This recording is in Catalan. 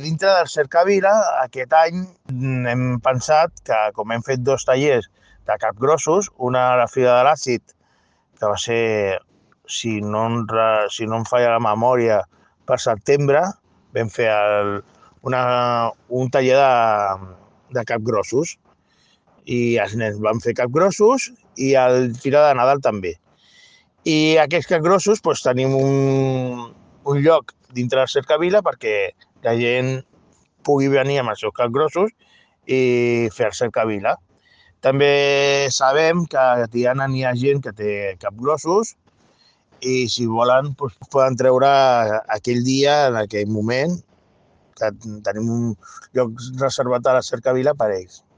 Dintre del Cercavila, aquest any hem pensat que, com hem fet 2 tallers de capgrossos, una a la Fira de l'Àcid, que va ser, si no em falla la memòria, per setembre, vam fer un taller de capgrossos i els nens van fer capgrossos i al Fira de Nadal també. I aquests capgrossos doncs, tenim un lloc dintre del Cercavila perquè la gent pugui venir amb els seus capgrossos i fer el Cercavila. També sabem que hi ha gent que té capgrossos i si volen doncs, poden treure aquell dia, en aquell moment, que tenim un lloc reservat a la Cercavila per a ells.